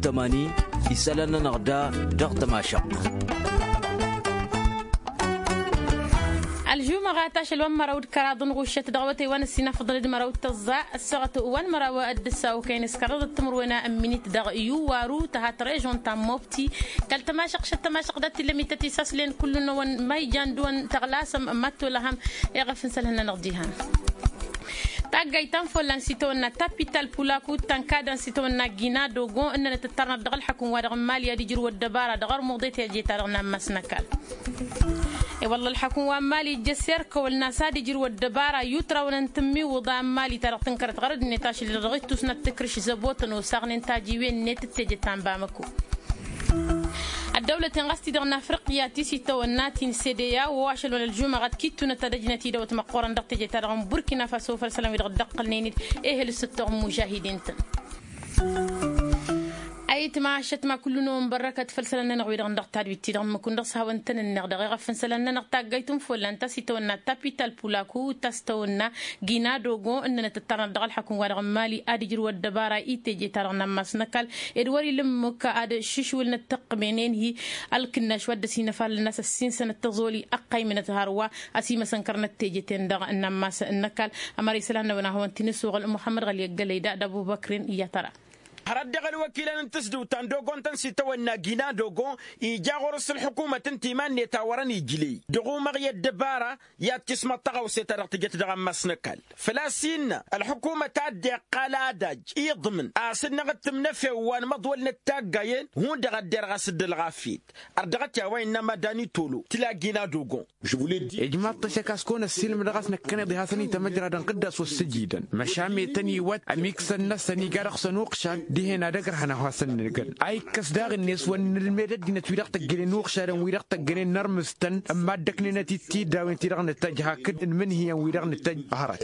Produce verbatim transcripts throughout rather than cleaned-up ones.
Tămani isălan-nănăɣ da dăɣ-tămašăɣt. Ălžumăɣat ašăl wa n-măraw d-kăraḍ n-ɣuššăt dăɣ-awătay wa n-ăssinafăḍăn d-măraw d-tăẓẓa ăssaɣăt wa n-măraw d-ǝssa okăyăn s-kăraḍăt timǝrwen n-minit dăɣ-iwwaru tăhat režon ta n-mobti. Kăl-tămašăɣt šăt tămašăɣt dat-t-illa mităt isaslăyăn kull-năwăn ma ijan dăɣ-wăn tăɣlasăm mad-tolăhăm. Iɣăf n-isălan-nănăɣ dihan. Taggayt ta n-follan s-itawănna tapital pulaku tankadăn s-itawănna gina dogo ǝnnănăt ǝttarnăt dăɣ-ălḥăkǝm-wa-dăɣ n-mali ad-ijrǝw ăddăbara dăɣ-armuḍe teje-ta-dăɣ n-ammas n-ăkall. I-wălla ălḥăkǝm wa n-mali ǝjjăs erkăwăl n-a-s ad-ijrǝw ăddăbara i-utraw n-tǝmmiwǝḍa n-mali ta dăɣ-tǝnkărăt ɣărăd-net ašăl-i-dăɣ ɣittus n-ad-tǝkrǝš zăbotăn osaɣnen tajiwen-net d-teje ta n-bamăko. Ăddăwlăten ɣas ti-dăɣ n-afriqya ti s-itawănna ti n-sedeya wa ašăl wăla ălžumăɣăt kittunăt ad-ăjnăt idăwăt măqqoorăn dăɣ-teje-ta-dăɣ n-burkina faso făll-isălan wi-dăɣ dd-ăqqălnen-dd ehel s-ǝttoɣ n-mužahidin-tăn. Ayǝtma ašăt ma kullu-năwăn bărrăkăt făll-isălan-nănăɣ wi-dăɣ dăɣ-tadwit-ti-dăɣ n-măkun dăɣ-s hawăn-tăn-ǝnneɣ dăɣ-iɣăf n-isălan-nănăɣ taggayt n-follan ta s-itawănna tapital pulaku ta s-tawănna gina dogo ǝnnănăt ǝttarnăt dăɣ-ălḥăkǝm-wa-dăɣ n-mali ad-ǝjrǝw ăddăbara i-teje-ta-dăɣ n-ammas n-ăkall. Ed wăr-ila ǝmmǝk ad-šǝšwǝlnăt tăqqǝmenen-hi ălkǝnnaš wa dd-ăsinăfalăn a-s ăssinsănăt tăẓoli ăqqaymǝnăt hărwa ăsimăsănkărnăt teje-ten-dăɣ n-ammas n-ăkall. Ămăra isălan-năwăn a hawăn-t-in-ǝssuɣǝl muḥămmăd ɣăli ăggălăy da d-ăbubăkren i-ad-tăra. Hărăt dăɣ-ălwăkilăn n-tǝsdǝwt ta n-dogon-tăn s-itawănna gina dogon ija ɣur-s ǝlḥǝkumăt ǝnta iman-net a wărăn ijley dăɣ-umăɣ i-ăddăbara i-ad-tismăḍ tăɣawse-ta-dăɣ tǝjăt dăɣ-ammas n-ăkall. Făl-a-s innă ălḥukumăt a dd-iqqal adaj iḍmǝn a-s ǝnneɣ d-tǝmnăfew wa n-imăḍwălnăt taggayen hundăɣ a dd-irɣas d-ălɣafyăt. Ărdăɣăt i-a-wa innă madani tolo tǝla gina dogon. Ijmaḍ-t ăššăk a-s kăwăn-ăssiilmădăɣ a-s năkkăneḍ-i hasăn-itămăjradăn ɣǝddas wăr-sǝjidăn măšan metăn iwăt ămiksăn-năsăn iga dăɣ-săn uqšan dihen ad-ăgrăhăn a-wa hasăn-nǝlgăn a ikkăs daɣ-net wăr nǝlmed ăddinăt wi-dăɣ tăggănen n-uqšadăn wi-dăɣ tăggănen n-ărmǝstăn n-mad-ăknenăt-dd tiddawen ti-dăɣ nǝtăjj hakd n-imǝnhǝyăn wi-dăɣ nǝtăjj. Hărăt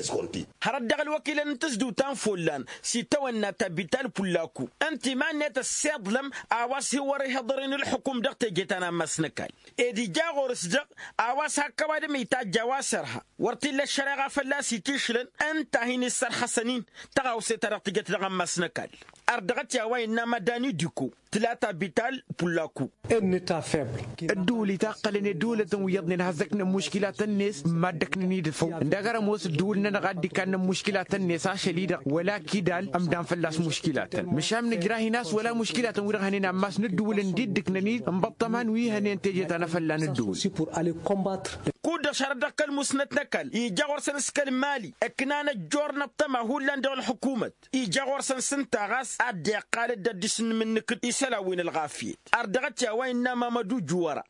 hărăt dăɣ-ălwăkilăn n-tǝzdǝwt ta n-follan s-itawănna tabital pullaku ǝnta iman-net ăssiḍlăm a-wa s-hi-wăr-ihăḍăr-in ǝlḥǝkum dăɣ-teje ta n-ammas n-ăkall. Ed ija ɣur-s dăɣ a-wa s-hak ăwadǝm itajj a-wa s-irha wăr t-illa ăššăreɣa fălla-s itišlăn ǝnta a hin-issărxăsăn-in tăɣawse-ta-dăɣ tǝjăt dăɣ-ammas n-ăkall. Ărdăɣăt i-a-wa innă madani diko tǝla tabital pullaku. Ǝddǝwǝl itaqqălăn i-ăddăwlătăn wi iyyăḍnen ad-has-ăknen muškilatăn-net n-mad-ăknen idǝfăw ǝndăgg ar ămoos ǝddǝwǝl-nănăɣ a dd-ikannen muškilatăn-net ašăl-i-dăɣ wăla kidal ămdan fălla-s muškilatăn măšan nǝjrah-in a-s wăla muškilatăn wi-dăɣ hănen ammas n-ǝddǝwǝl ǝndidǝknăn-dd n-ibăṭṭăman wi hănen teje ta n-afălla n-ǝddǝwǝl. Kud-dăɣ šarăt dăɣ-kăl-musnăt n-ăkall ija ɣur-săn s-kăl-mali ǝknan ăjjoorăn ăṭṭăma hullan dăɣ-ălḥukumăt ija ɣur-săn s-ǝnta ɣas a dd-iqqal dd-ăddis n-imǝnnǝkǝd isălan wi n-ălɣafyăt. Ărdăɣăt i-a-wa innă mamădu juwăra.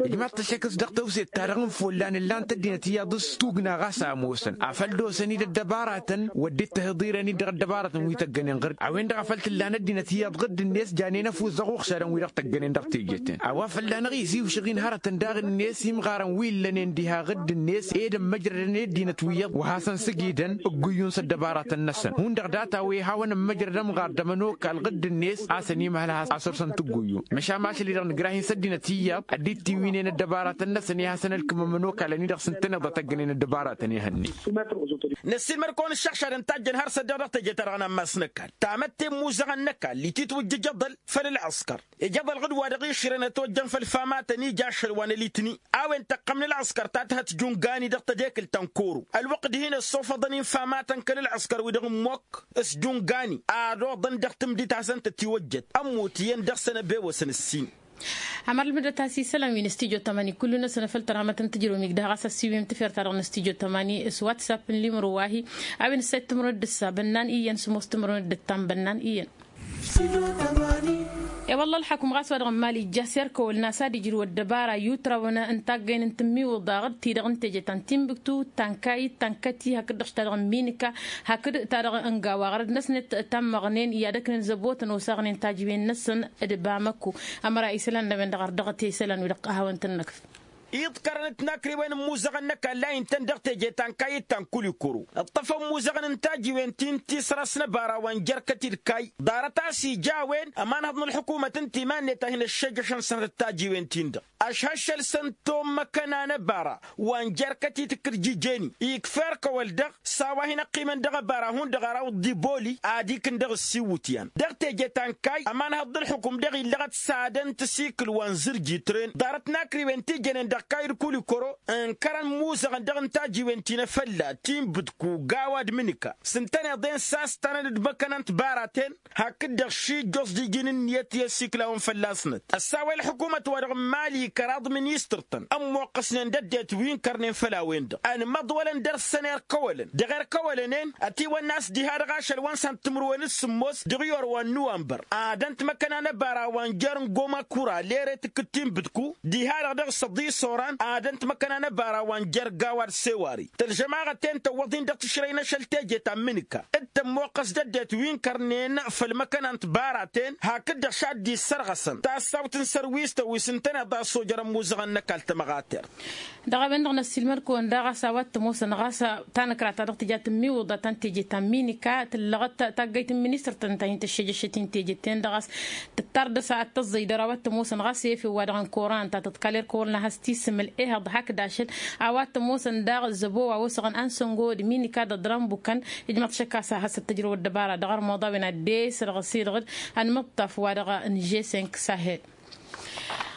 Ijmaḍ-t ăššăk s-dăɣ tewset-ta-dăɣ n-follan ǝllan-t ăddinăt iyyăḍ s-tugna ɣas a ămoosăn afăl d-osăn-dd ăddăbaratăn wăr dd-tăhiḍirăn-dd dăɣ-ăddăbaratăn wi tăggănen ɣǝr-dd a-wen-dăɣ a făl t-ǝllan ăddinăt iyyăḍ ɣǝr-dd-net janen ăfuss dăɣ-uɣšadăn wi-dăɣ tăggănen dăɣ-teje-ten a-wa fălla-năɣ iziwšăɣ-in hărătăn daɣ-net imɣarăn wi ǝllănen diha ɣǝr-dd-net ed ămmăjrădăn i-ăddinăt wi iyyăḍ wa hasăn-sǝgidăn ǝgguyyu n-săddăbaratăn-năsăn hundăɣ data-wi hawăn-ămmăjrăd ămɣar d-ămănokal ɣǝr-dd-net a-s ănimăhăl a-s ărsăn tǝgguyyu. Măšan ašăl-i-dăɣ nǝjrah-in s-ăddinăt iyyăḍ ad-dd-tiwǝynen ăddăbaratăn-năsăn i-ad-hasăn-ălkǝm ămănokal ănidăɣ s-ǝntăneḍ a tăggănen ăddăbaratăn ihănnen. Năssiilmăd-kăwăn ǝššăɣšadăn tajjăn har s-ăddiɣ dăɣ-teje-ta-dăɣ n-ammas n-ăkall tamătte n-imuzăɣăn n-ăkall ititwǝjjǝj ăḍăl făll-ălɣăskăr. Ija ăḍălɣǝd wa dăɣ-išrăn ătwăjjăn făll-ifamatăn ija ašăl wa n-ălitni a-wen tăqqăm n-ălɣăskăr ta tǝhăt jungani dăɣ-tedekǝlt ta n-koro ălwăqq dihin-ăssofăḍăn infamatăn kăl-ălɣăskăr wi-dăɣ n-mokk s-jungani ad-oḍăn dăɣ-tǝmdit hasăn-tătiwăjjăt ămmut iyyăn dăɣ-săn ăbewăsăn ǝssin. Ămăr ǝlmǝdăt a-s isălan wi n-studyo tămani kullu-năsăn făll-tărhămăt n-tǝjrǝw migdăh ɣas ăssiwǝyăm tǝfer-ta-dăɣ n-studyo tămani s-whatsapp n-limro wa-hi. A-wen ǝssayăt timǝrwen d-ǝssa bănnan iyyăn s-ămoos timǝrwen d-ǝttam bănnan iyyăn. I-wălla ălḥăkum ɣas wa dăɣ-n mali ijja s-erkăwăl n-a-s ad-ijrǝw ăddăbara i-utrawăn n-taggăyăn n-tǝmmiwǝḍaɣ-dd ti-dăɣ n-teje ta n-timbǝktu tankayǝt tankăti hakd-dăɣ ta dăɣ-n minǝka hakd ta dăɣ-n gawa ɣărăd-năsnet. Tammăɣnen i-ad-ăknen zăbotăn osaɣnen tajǝwen-năsăn d-bamăko. Ămăra isălan n-a-wen-dăɣ ărdăɣăt i-isălan wi-dăɣ a hawăn-tăn-năkf. Iḍkărăn d-tinakriwen n-imuzăɣăn n-ăkall a intăn dăɣ-teje ta n-kayy d-ta n-kulikoro. Ǝṭṭăfăn imuzăɣăn n-tajiwen ti n-tisras n-ăbara wa n-jerkăt-dd kayy. Ḍarăt a-s ija a-wen ămanhăḍ n-ălḥukumăt ǝnta iman-net a hin-ăššejăšăn sănăt d-tajiwen-tin-dăɣ. Ăšhăššăl-săn tommăkăna n-ăbara wa n-jerkăt-i tǝkkǝrjijeni ikfa erk-ăwăl-dăɣ. S-a-wa hin-ăqqimăn dăɣ-ăbara hundăɣ ar awǝḍ d-iboli ad-ikǝn dăɣ-ăssiwǝtyan dăɣ-teje ta n-kayy. Ămanhăḍ d-ǝlxǝkum dăɣ-illăɣăt s-ad-ăntǝsikǝl wa n-zǝrji tren ḍarăt n-akriwen ti jănen dăɣ-kayy d-kulikoro. Ǝnkărăn imuzăɣăn dăɣ-ǝnta ajiwen ti n-efălla ti n-bǝdku gawa d-imǝnǝka s-ǝntăneḍ-en s-a-s tanăn d-imăkăna n-tibaraten. Hakd-dăɣ šijjoẓ d-iji n-ǝnniyăt i-ăsikǝlawăn fălla-snăt ăssawăy ălḥukumăt-wa-dăɣ n-mali kăraḍ ministăr-tăn ămmoqqăsnen d-ăddinăt wi n-kărnen făll-a-wen-dăɣ ănmăḍwălăn d-ărsăn erk ăwălăn dăɣ-erk ăwălăn-en. Ătiwănna a-s diha-dăɣ ašăl wa n-săn timǝrwen d-sǝmmos dăɣ-iyor wa n-nuwănbăr ad-ăntmăkăna n-ăbara wa n-jer n-goma kura lere tǝkkǝt ti n-bǝdku diha-dăɣ dăɣ-s ăḍis oran ad-ăntmăkăna n-ăbara wa n-jer gawa d-sewari tălžămaɣăt-en tăwwăḍ-in dăɣ-tǝšrăy n-ašăl teje ta n-imǝnǝka d-tămmoqqăs d-ăddinăt wi n-kărnen făll-imăkăna n-tibaraten. Hakd-dăɣ šadd-issărɣăsăn tassawt n-sărwis tăwis ǝntăneḍ a-s ojărăn imuzăɣăn n-ăkall tămăɣatert. Dăɣ-a-wen-dăɣ n-ăssiilmăd-kăwăn daɣ a-s a-wa t-ămoosăn ɣas tanăkra-ta-dăɣ tǝja tǝmmiwǝḍa ta n-teje ta n-minika tǝllăɣăt taggayt n-ministăr-tăn ta hin-tăššejăššăt-in teje-ten-dăɣ a-s tǝttar dăɣ-s ad-tăẓẓăy dăr-a-wa t-ămoosăn ɣas efew-wa-dăɣ n-koran ta tǝḍkal erk ăwăl n-ad-has-tisǝmǝl ehăḍ hakd ašăl. A-wa t-ămoosăn daɣ zăbo wa osăɣăn ansăngo d-minika d-ăḍran bukăn ijmăḍ šăkk a-s ad-has-ăttăjrăw ăddăbara dăɣ-armuḍa a-wen ad-dd-esrăɣ s-edăɣ-dd ănmǝṭṭaf wa-dăɣ n-žesink sahel.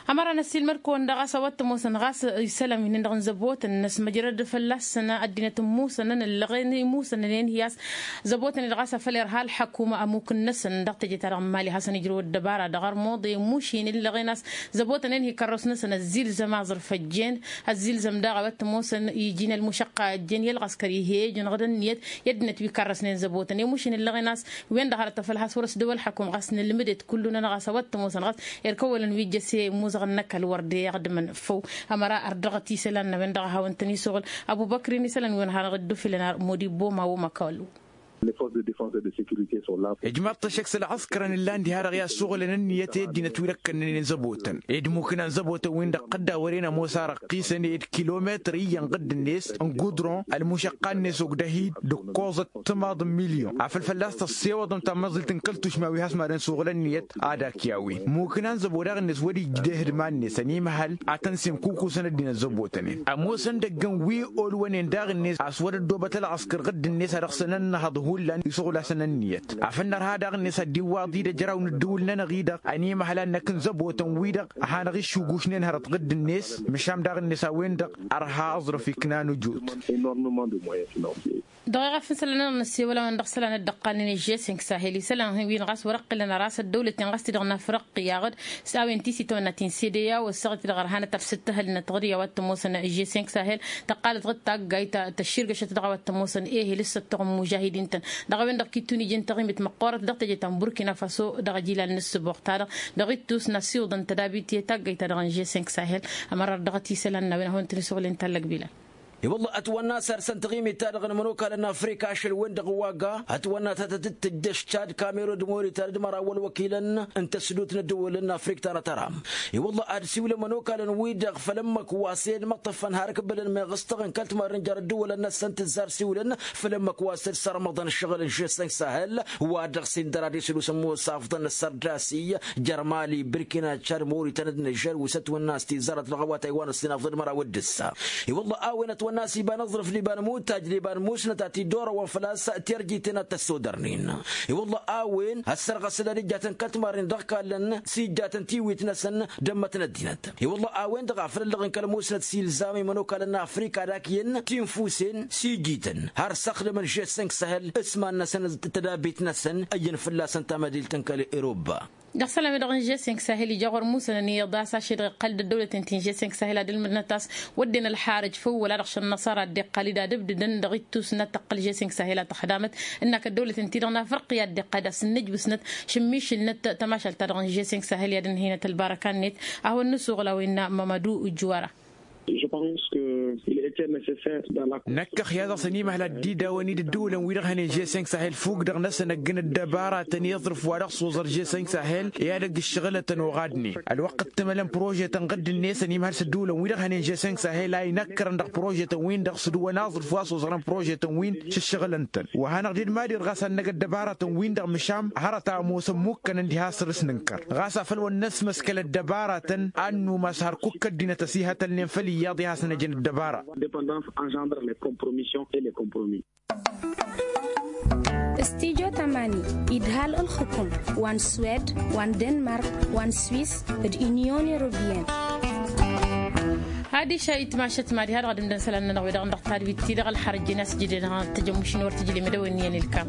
Ămăra n-ăssiilmăd-kăwăn daɣ a-s a-wa t-ămoosăn ɣas isălan wi-dăɣ n-zăbotăn-năs măjrăd fălla-săn ăddinăt ămmusănăn ǝllăɣen imusănăn-en hi-a-s zăbotăn-i-dăɣ a-s afăl irha ălḥăkum ămuk-năsăn dăɣ-teje-ta-dăɣ n-mali ad-hasăn-ǝjrăw ăddăbara dăɣ-armuḍe imušin ǝllăɣen a-s zăbotăn-en hi-kărrăwsnăsăn ăzzilzăm aẓrǝf ăjjeen ăzzilzăm daɣ a-wa t-ămoosăn iji n-ălmušăqqa ăjjeen i-ălɣăskăr ih'-e ejănăɣ d-ǝnniyăt i-ăddinăt wi kărrăsnen zăbotăn imušin ǝllăɣen a-s wen-dăɣ hărăt afăl has-wăr-ăsdăw ălḥăkum ɣas nǝlmǝdet kullu-nănăɣ a-s a-wa t-ămoosăn ɣas erk ăwălăn wi jăse imuzăɣăn n-ăkall wăr dd-iɣdǝmăn făw. Ămăra ărdăɣăt isălan n-a-wen-dăɣ a hawăn-tăn-isuɣǝl abu băkri n-isălan wi n-hanăɣ-dd-ufǝlăn ar modibbo ma wăma kăwăl. Ijmaḍ-t ăššăk s-ălɣăskărăn ǝllan diha-dăɣ i-ad-suɣǝlăn ǝnniyăt i-ăddinăt wi d-ăkkănnănen zăbotăn ed mukǝnan zăbotăn-win-dăɣ tădda wăren ămoos arăqqisăn ed kilometăr iyyăn ɣǝdd-net n-gudron ălmušăqqa-net ogdăhid d-ǝkkoẓăt timaḍ n-milyon afăl fălla-s tăssewăḍăm tamăẓilt n-kăl-tušma wi has-madăn suɣǝl ǝnniyăt ad-ak i-a-wen mukǝnan zăbo daɣ-net wăr-ija d-ehǝdman-net ănimăhăl ad-tăn-semkukusăn ăddinăt zăbotănen ămoosăn dăgg-en wi olwănen daɣ-net a-s wăr-ăddoobăt ălɣăskăr ɣǝdd-net a dăɣ-săn ănnăhăḍ hullan isuɣǝl-asăn ǝnniyăt afăl nărha daɣ-net ad-dd-iwwaḍ-dd ejăraw n-ǝddǝwǝl-nănăɣ-i-dăɣ ănimăhăl ad-năkk n-zăbotăn-wi-dăɣ ăhanăɣ-iššugušnen hărăt ɣǝdd-net măšan daɣ-net a-wen-dăɣ ărha aẓrǝf iknan ujot. Dăɣ-iɣaf n-isălan-nănăɣ n-ăssewăl-a-wen dăɣ-isălan dd-ăqqalnen ăžžesink sahel isălan-win ɣas wăr-ăqqǝlăn ăras ăddăwlăt-in ɣas ti-dăɣ n-afriqya ɣǝd s-a-wen ti s-itawănna ti n-sedeya wăr-săɣ-t-dăɣ ărhanăt ălsǝttăhăl n-ătɣǝrǝya wa t-ămoosăn ăžžesink sahel tăqqalăt ɣǝd taggayt tăšširgăšăt dăɣ-a-wa t-ămoosăn ehel s-ăttoɣ n-mužahidin-tăn. Dăɣ-a-wen-dăɣ kittun iji n-taɣimit măqqoorăt dăɣ-teje ta n-burkina faso dăɣ-ajilal n-ǝssǝboɣ-ta-dăɣ dăɣ-ittus n-asiwǝḍăn tădabit i-taggayt-ta-dăɣ n-žesink sahel. Ămăra ărdăɣăt isălan n-a-wen ad-hawăn-tăn-isuɣǝl inta ăllăg bilal. I-wălla ătwănna a-s arsăn taɣimit-ta-dăɣ n-imănokalăn n-afrika ašăl-wen-dăɣ wa ga ătwănna ta tăt-dd-tǝjjăš cad kamerun d-moritan d-măraw wăl-wăkilăn n-tăsdut n-ăddăwălăn n-afrik ta n-atăram. I-wălla ad-siwlăn imănokalăn-wi-dăɣ făll-ǝmmǝk wa s-e-d măṭṭăfăn har ǝkbǝlăn meɣ s-tăɣ n-kăl-timarren jer-ăddăwălăn-năsăn tǝzzar siwlăn făll-ǝmmǝk wa s-e-d sărmăḍăn ǝššăɣǝl n-žesănk sahel wa dăɣ-s indăr ad-isǝlusăn musafḍăn n-ăssărdasi jer-mali burkina cad moritan d-nižer wi s-ătwănna a-s tizarăt dăɣ-awatay wa n-ăssinafḍăn măraw d-ǝssa. I-wălla a-wen ătwănna a-s iba n-aẓrǝf d-iba n-imutaj d-iba n-musnăt a t-dd-orăwăn făl-a-s tirjiten ad-tăssodărnen. I-wălla a-wen ăssărɣăsăl ad-ijjatăn kăl-timarren dăɣ-kallăn s-ijjatăn tiwit-năsăn d-ămmăt n-ăddinăt. I-wălla a-wen-dăɣ a făl ǝllăɣ n-kăl-musnăt s-ilzam i-imănokalăn n-afrika ad-akǝyăn tinfusen s-ijităn har s-ăxdămăn žesănk sahel s-iman-năsăn d-tădabit-năsăn ăyyăn fălla-săn tamădilt n-kăl-eroba. Dăɣ-isălan-wi-dăɣ n-žesănk sahel ija ɣur-musănăn iyyăḍ a-s ašăl-i-dăɣ iqqăl-dd ăddăwlăten ti n-žesănk sahel ad-ǝlmǝdnăt a-s wădden ălxarăj făw wăla dăɣ-šăn năṣara a dd-iqqal-dd ad-ǝbdǝdăn dăɣ-ittus n-ad-tăqqăl žesănk sahel a tăxdamăt ǝnnak ăddăwlăten-ti-dăɣ n-afriqya a dd-iqqal-dd a-s ǝnnǝjbǝsnăt šǝmmišǝlnăt tămašalt-ta-dăɣ n-žesănk sahel i-ad-ǝnhăynăt ălbarăka-net. A hawăn-nǝsuɣǝl a-wa innă mămădu ǝjjǝwara. Năkkăx i-ad-dăɣ-săn imhăl ad-dd-idawăn-dd ǝddǝwǝlăn-wi-dăɣ hănen žesănk sahel fuk-dăɣ-năsăn ăgg n-ăddăbaratăn i-aẓrǝf wa dăɣ-s oẓăr žesănk sahel i-ad-ăgg ǝššăɣǝlătăn oɣadnen. Ălwăqq t-ǝmălăn prožetăn ɣǝdd-net ănimhăl s-ăddǝwǝlăn-wi-dăɣ hănen žesănk sahel a inăkkărăn dăɣ-prožetăn-win-dăɣ s-ǝdǝwăn aẓrǝf wa s-oẓărăn prožetăn-win s-ǝššăɣǝlăn-tăn. Wa hanăɣ-dd-mad-irɣas ad-năg ăddăbaratăn-win-dăɣ măšan hărăt a ămoos ămmukkănăn diha săr-s nǝnkăr ɣas afăl wa n-năsmăskăl ăddăbaratăn ad-numas har kukk ăddinăt ăsihătălnen făll-iyyăḍ i-ad-hasăn-ăjăn ăddăbara. Dependance engendre les compromissions et les compromis. Studyo tamani idhal ǝlxǝkum wa n-swed wa n-denmark wa n-swis d-unyon europeyenne. Hadiša itmašăt mad-iha dăɣ-ad-ǝmdăn isălan-nănăɣ wi-dăɣ n-dăɣ tadwit-ti-dăɣ ălxărăjjen a-s jede-dăɣ tăjămušin wăr tǝjlem d-a-wen iyyăn ilkam.